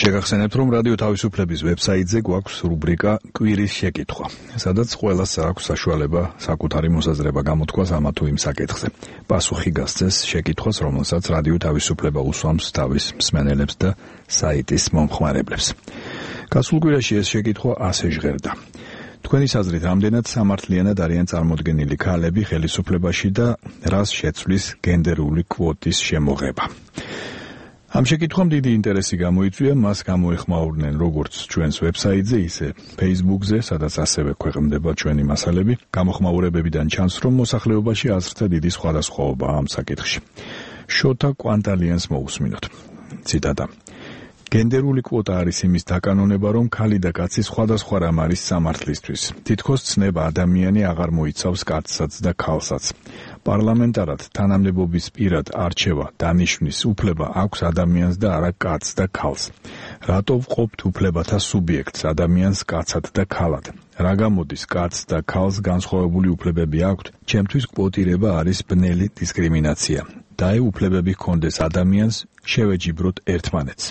შეგახსენებთ, რომ რადიო თავისუფლების ვებსაიტზე გვაქვს რუბრიკა კვირის შეკითხვა, სადაც ყველას აქვს საშუალება საკუთარი მოსაზრება გამოთქვას ამა თუ იმ საკითხზე. პასუხი გასცეს შეკითხვას, რომელსაც რადიო თავისუფლება უსვამს თავის მსმენელებს და საიტის მომხმარებლებს. გასულ კვირაში ეს შეკითხვა ასე ჟღერდა. თქვენი აზრით, რამდენად სამართლიანად არიან წარმოდგენილი ქალები ხელისუფლებაში და რას შეცვლის გენდერული კვოტის შემოღება? ამ შეკითხვამ დიდი ინტერესი გამოიწვია, მას გამოეხმაურნენ როგორც ჩვენს ვებსაიტზე, ისე Facebook-ზე, სადაც ასევე ქვეყნდება ჩვენი მასალები. გამოხმაურებებიდან ჩანს, რომ მოსახლეობაში აზრთა დიდი სხვადასხვაობაა ამ საკითხში. შოთა კვანტალიანს მოусმინოთ. ციტატა. გენდერული კვოტა არის იმის დაკანონება, რომ ქალი და კაცი სხვადასხვა რამ არის სამართლისთვის. თითქოს ცნება ადამიანი აღარ მოიცავს კაცსაც და ქალსაც. პარლამენტარად თანამდებობის პირად არჩევა, დანიშვნის უფლება აქვს ადამიანს და არა კაცს და ქალს. რატო ვყოფთ უფლებათა სუბიექტს, ადამიანს კაცად და ქალად? რა გამოდის კაცს და ქალს განსხვავებული უფლებები აქვთ? ჩემთვის კვოტირება არის ბნელი დისკრიმინაცია. და უფლებები ჰქონდეს ადამიანს, შევეჯიბროთ ერთმანეთს.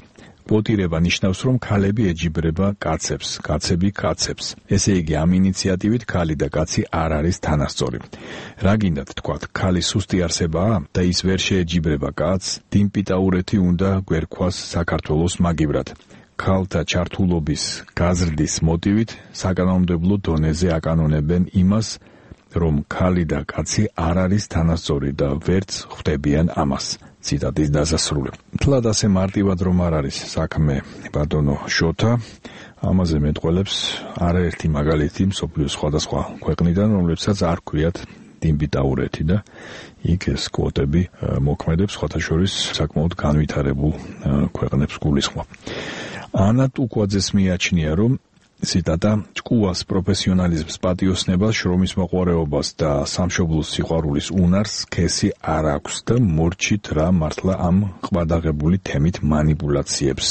კვოტირება ნიშნავს, რომ ქალები ეჯიბრება კაცებს, კაცები კაცებს. ესე იგი, ამ ინიციატივით ქალი და კაცი არ არის თანასწორი. რა გინდათ თქვათ, ქალი სუსტი არსებაა და ის ვერ შეეჯიბრება კაცს, დიმპიტაურეთი უნდა გვერქვას საქართველოს მაგივრად. ქალთა ჩართულობის გაზრდის მოტივით საკანონმდებლო დონეზე აკანონებენ იმას, რომ ქალი და კაცი არ არის თანასწორი და ვერც ხვდებიან ამას. ციტატის დასასრული. თლად ასე მარტივად რომ არ არის საქმე, ბატონო შოთა, ამაზე მეტყველებს არაერთი მაგალითი მსოფლიოს სხვადასხვა ქვეყნიდან, რომლებსაც არ ქვიათ დიმპიტაურეთი და იქ ეს კვოტები მოქმედებს, სხვათა შორის საკმაოდ განვითარებულ ქვეყნებს გულისხმობ. ანა ტუკვაძეს მიაჩნია, რომ ციტატა, ჭკუას პროფესიონალიზმს, პატიოსნებას, შრომის მოყვარეობას და სამშობლოს სიყვარულის უნარს სქესი არ აქვს და მორჩით რა მართლა ამ ყვადაღებული თემით მანიპულაციებს.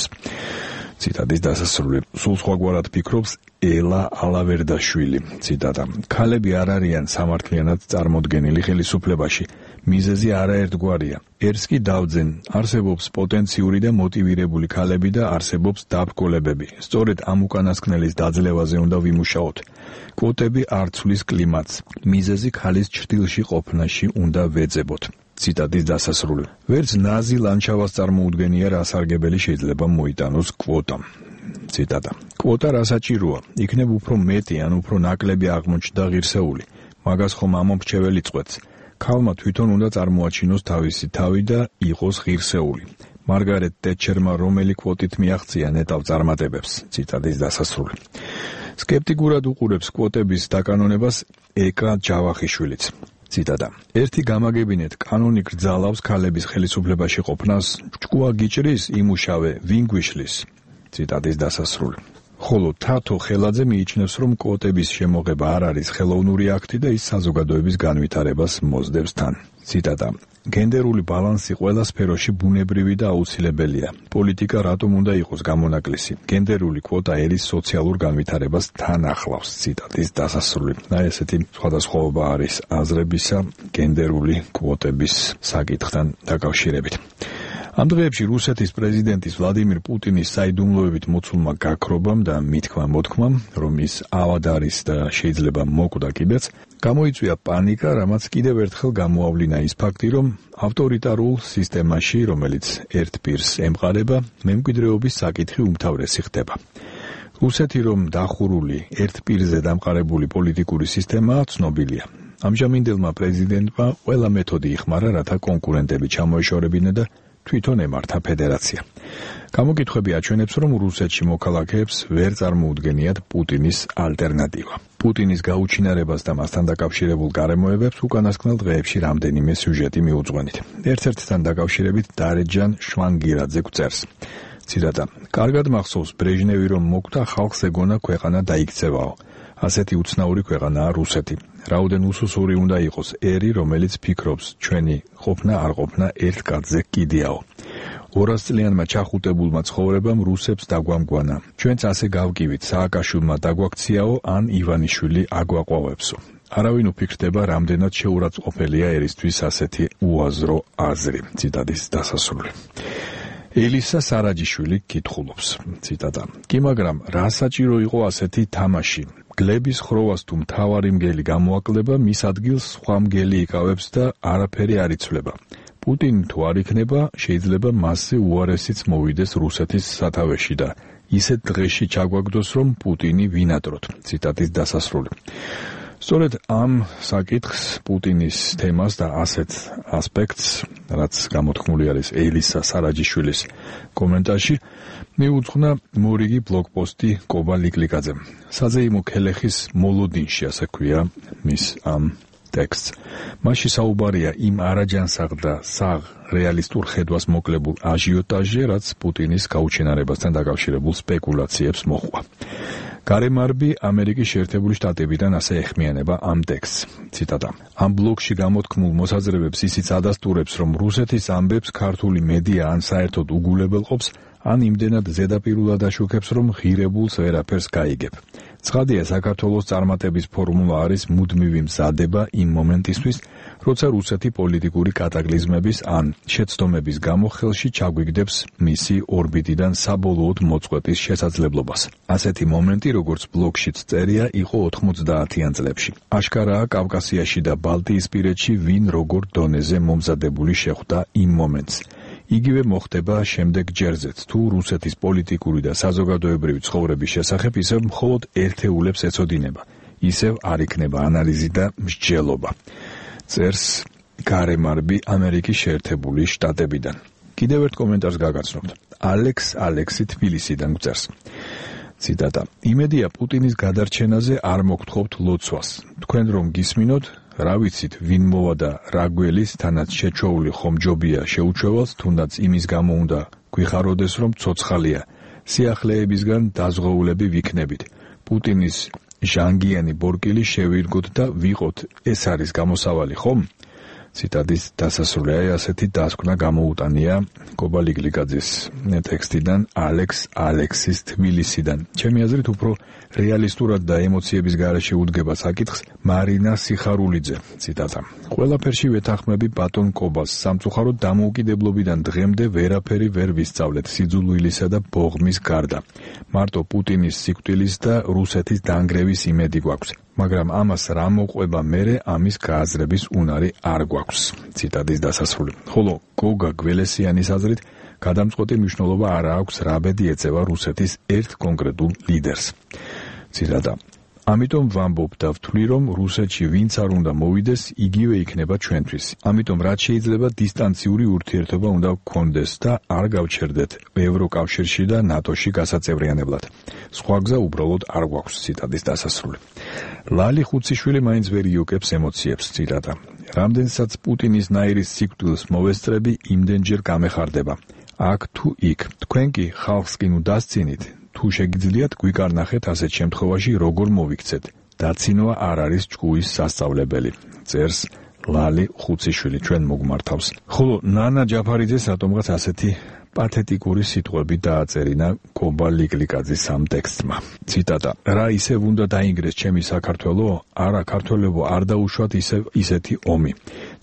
ციტატის დასასრული. სულ სხვაგვარად ფიქრობს ელა ალავერდაშვილი. ციტატა. ქალები არ არიან სამართლიანად წარმოდგენილი ხელისუფლებაში. მიზეზი არაერთგვარია. ერთს კი დავძენ, არსებობს პოტენციური და მოტივირებული ქალები და არსებობს დაბრკოლებები. სწორედ ამ უკანასკნელის დაძლევაზე უნდა ვიმუშაოთ. კვოტები არ ცვლის კლიმატს. მიზეზი ქალის ჩრდილში ყოფნაში უნდა ვეძებოთ. ციტატის დასასრული. ვერც ნაზი ლანჩავას წარმოუდგენია, რა სარგებელი შეიძლება მოიტანოს კვოტამ. ციტატა. კვოტა რა საჭიროა? იქნებ უფრო მეტი ან უფრო ნაკლები აღმოჩნდა ღირსეული. მაგას ხომ ამომრჩეველი წყვეტს. ქალმა თვითონ უნდა წარმოაჩინოს თავისი თავი და იყოს ღირსეული. მარგარეტ ტეტჩერმა რომელი კვოტით მიაღწია ნეტავ წარმატებებს. ციტატის დასასრული. სკეპტიკურად უყურებს კვოტების დაკანონებას ეკა ჯავახიშვილიც. ციტატა. ერთი გამაგებინეთ, კანონი გრძალავს ქალების ხელისუფლებაში ყოფნას, ჭკუა გიჭრის, იმუშავე, ვინ გვიშლის. ციტატის დასასრული. ხოლო თათო ხელაძე მიიჩნევს, რომ კვოტების შემოღება არ არის ხელოვნური აქტი და ის საზოგადოების განვითარებას მოსდევს თან. ციტატა. გენდერული ბალანსი ყველა სფეროში ბუნებრივი და აუცილებელია. პოლიტიკა რატომ უნდა იყოს გამონაკლისი? გენდერული კვოტა ერის სოციალურ განვითარებას თან ახლავს. ციტატის დასასრული. ესეთი სხვადასხვაობა არის აზრებისა გენდერული კვოტების საკითხთან დაკავშირებით. ამ დღეებში რუსეთის პრეზიდენტის ვლადიმირ პუტინის საიდუმლოებით მოცულმა გაქრობამ და მითქმა-მოთქმამ, რომ ის ავად არის და შეიძლება მოკვდა კიდეც, გამოიწვია პანიკა, რამაც კიდევ ერთხელ გამოავლინა ის ფაქტი, რომ ავტორიტარულ სისტემაში, რომელიც ერთ პირს ემყარება, მემკვიდრეობის საკითხი უმთავრესი ხდება. რუსეთი, რომ დახურული ერთ პირზე დამყარებული პოლიტიკური სისტემაა, ცნობილია. ამჟამინდელმა პრეზიდენტმა ყველა მეთოდი იხმარა, რათა კონკურენტები ჩამოეშორებინა და თვითონ ემართა ფედერაცია. გამოკითხვები აჩვენებს, რომ რუსეთში მოქალაქეებს ვერ წარმოუდგენიათ პუტინის ალტერნატივა. პუტინის გაუჩინარებას და მასთან დაკავშირებულ გარემოებებს უკანასკნელ დღეებში რამდენიმე სიუჟეტი მიუძღვენით. ერთ-ერთთან დაკავშირებით დარეჯან შვანგირაძე გვწერს. ციტატა. კარგად მახსოვს ბრეჟნევი რომ მოკვდა, ხალხს ეგონა ქვეყანა დაიქცევაო. ასეთი უცნაური ქვეყანაა რუსეთი. რაოდენ უსუსური უნდა იყოს ერი, რომელიც ფიქრობს, ჩვენი ყოფნა არ ყოფნა ერთ კაცზე კიდიაო. 200 წლიანმა ჩახუტებულმა ცხოვრებამ რუსებს დაგვამგვანა. ჩვენც ასე გავკივით, სააკაშვილმა დაგვაქციაო ან ივანიშვილი აგვაყვავებსო. არავინ უფიქრდება, რამდენად შეურაცხყოფელია ერისთვის ასეთი უაზრო აზრი. ციტატის დასასრული. ელისა სარაჯიშვილი კითხულობს, ციტატა: "კი, მაგრამ რა საჭირო იყო ასეთი თამაში? გლების ხროვას თუ მთავარი მგელი გამოაკლდება, მის ადგილს სხვა მგელი იკავებს და არაფერი არ იცვლება. პუტინი თუ არ იქნება, შეიძლება მასზე უარესიც მოვიდეს რუსეთის სათავეში და ისეთ დღეში ჩაგვაგდოს, რომ პუტინი ვინატროთ." ციტატის დასასრული. სწორედ ამ საკითხს, პუტინის თემას და ასეთ ასპექტს, რაც გამოთქმული არის ელისა სარაჯიშვილის კომენტარში, მიუძღვნა მორიგი ბლოგპოსტი კობა ლიკლიკაძემ. საზეიმო ქელეხის მოლოდინში, ასე ქვია მის ამ ტექსტს. მასში საუბარია იმ არაჯანსაღ და საღ რეალისტურ ხედვას მოკლებულ აჟიოტაჟზე, რაც პუტინის გაუჩინარებასთან დაკავშირებულ სპეკულაციებს მოჰყვა. გარემარბი ამერიკის შეერთებული შტატებიდან ასე ეხმიანება ამ ტექსტს. ციტატა: "ამ ბლოგში გამოთქმულ მოსაზრებებს ისიც ადასტურებს, რომ რუსეთის ამბებს ქართული მედია ან საერთოდ უგულებელყოფს, ან იმდენად ზედაპირულად აშუქებს, რომ ღირებულს ვერაფერს გაიგებ. ცხადია, საქართველოს წარმატების ფორმულა არის მუდმივი მზადება იმ მომენტისთვის, როცა რუსეთი პოლიტიკური კატაკლიზმების ან შეცდომების გამო ხელში ჩაგვიგდებს მისი ორბიტიდან საბოლოოდ მოწყვეტის შესაძლებლობას. ასეთი მომენტი, როგორც ბლოგშიც წერია, იყო 90-იან წლებში. აშკარაა, კავკასიაში და ბალტიისპირეთში ვინ როგორ დონეზე მომზადებული შეხვდა იმ მომენტს. იგივე მოხდება შემდეგ ჯერზეც, თუ რუსეთის პოლიტიკური და საზოგადოებრივი ცხოვრების შესახებ ისევ მხოლოდ ერთეულებს ეცოდინება, ისევ არ იქნება ანალიზი და მსჯელობა. წერს გარემარბი ამერიკის შეერთებული შტატებიდან. კიდევ ერთ კომენტარს გაგაცნობთ. ალექსი თბილისიდან გვწერს. ციტატა: "იმედია პუტინის გადარჩენაზე არ მოგთხოვთ ლოცვას. თქვენ რომ გისმინოთ, რა ვიცით, ვინ მოვა და რა გველის, თანაც შეჩოული ხომ ჯობია შეუჩევალს, თუნდაც იმის გამო უნდა გვიხაროდეს, რომ ცოცხალია. სიახლეებისგან დაზღვეულები ვიქნებით. პუტინის ჟანგიანი ბორკილი შევირგოთ და ვიყოთ. ეს არის გამოსავალი, ხომ?" ციტატის დასასრული. ასეთი დასკვნა გამოუტანია კობა ლიკლიკაძის ტექსტიდან ალექსის თბილისიდან. ჩემი აზრით, უფრო რეალისტურად და ემოციების გარეშე უდგება საკითხს მარინა სიხარულიძე. ციტატა: "ყველაფერში ვეთანხმები ბატონ კობას. სამწუხაროდ დამოუკიდებლობიდან დღემდე ვერაფერი ვერ ვისწავლეთ სიძულვილისა და ბოღმის გარდა. მარტო პუტინის სიკვდილის და რუსეთის დანგრევის იმედი გვაქვს. მაგრამ ამას რა მოყვება მერე, ამის გააზრების უნარი არ გვაქვს." ციტატის დასასრული. ხოლო გოგა გველესიანის აზრით, გადამწყვეტი მნიშვნელობა არ აქვს, რა ბედი ეწევა რუსეთის ერთ კონკრეტულ ლიდერს. ციტატა: "ამიტომ ვამბობ და ვთვლი, რომ რუსეთში ვინც არ უნდა მოვიდეს, იგივე იქნება ჩვენთვის. ამიტომ რაც შეიძლება დისტანციური ურთიერთობა უნდა გქონდეს და არ გავჩერდეთ ევროკავშირში და ნატოში გასაწევრიანებლად. სხვა გზა უბრალოდ არ გვაქვს." ციტატის დასასრული. ლალი ხუციშვილი მაინც ვერ იუკებს ემოციებს. ციტატა: "რამდენსაც პუტინის ნაირის სიკვდილს მოვესწრები, იმდენჯერ გამეხარდება. აქ თუ იქ. თქვენ კი ხალხს კი ნუ დასცინით. თუ შეგიძლიათ, გვიკარნახეთ ასეთ შემთხვევაში როგორ მოვიქცეთ. დაცინვა არ არის ჭკუის სასწავლებელი." წერს ლალი ხუციშვილი ჩვენ მოგმართავს. ხოლო ნანა ჯაფარიძეს რატომღაც ასეთი პათეტიკური სიტყვები დააწერინა კობა ლიკლიკაძის ამ ტექსტმა. ციტატა: "რა ისევ უნდა დაინგრეს ჩემი საქართველო? არა, ქართველებო, არ დაუშვათ ისეთი ომი.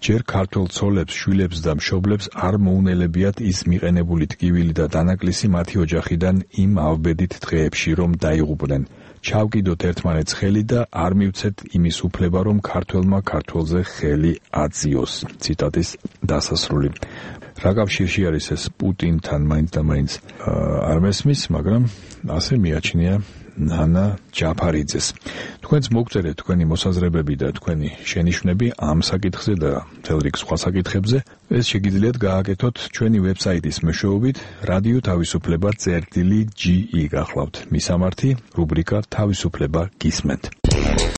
ჯერ ქართველ ცოლებს, შვილებს და მშობლებს არ მოუნელებიათ ის მიყენებული ტკივილი და დანაკლისი მათი ოჯახიდან იმ ავბედით დღეებში, რომ დაიღუპნენ. ჩავკიდოთ ერთმანეთს ხელი და არ მივცეთ იმის უფლება, რომ ქართველმა ქართველზე ხელი აწიოს." ციტატის დასასრული. რა კავშირში არის ეს პუტინთან მაინც და მაინც არ მესმის, მაგრამ ასე მიაჩნია ნანა ჯაფარიძეს. თქვენც მოგწერეთ თქვენი მოსაზრებები და თქვენი შენიშვნები ამ საკითხზე და მთელ რიგ სხვა საკითხებზე. ეს შეგიძლიათ გააკეთოთ ჩვენი ვებსაიტის მეშვეობით რადიო თავისუფლება წერტილი GE გახლავთ. მისამართი რუბრიკა თავისუფლება გისმენთ.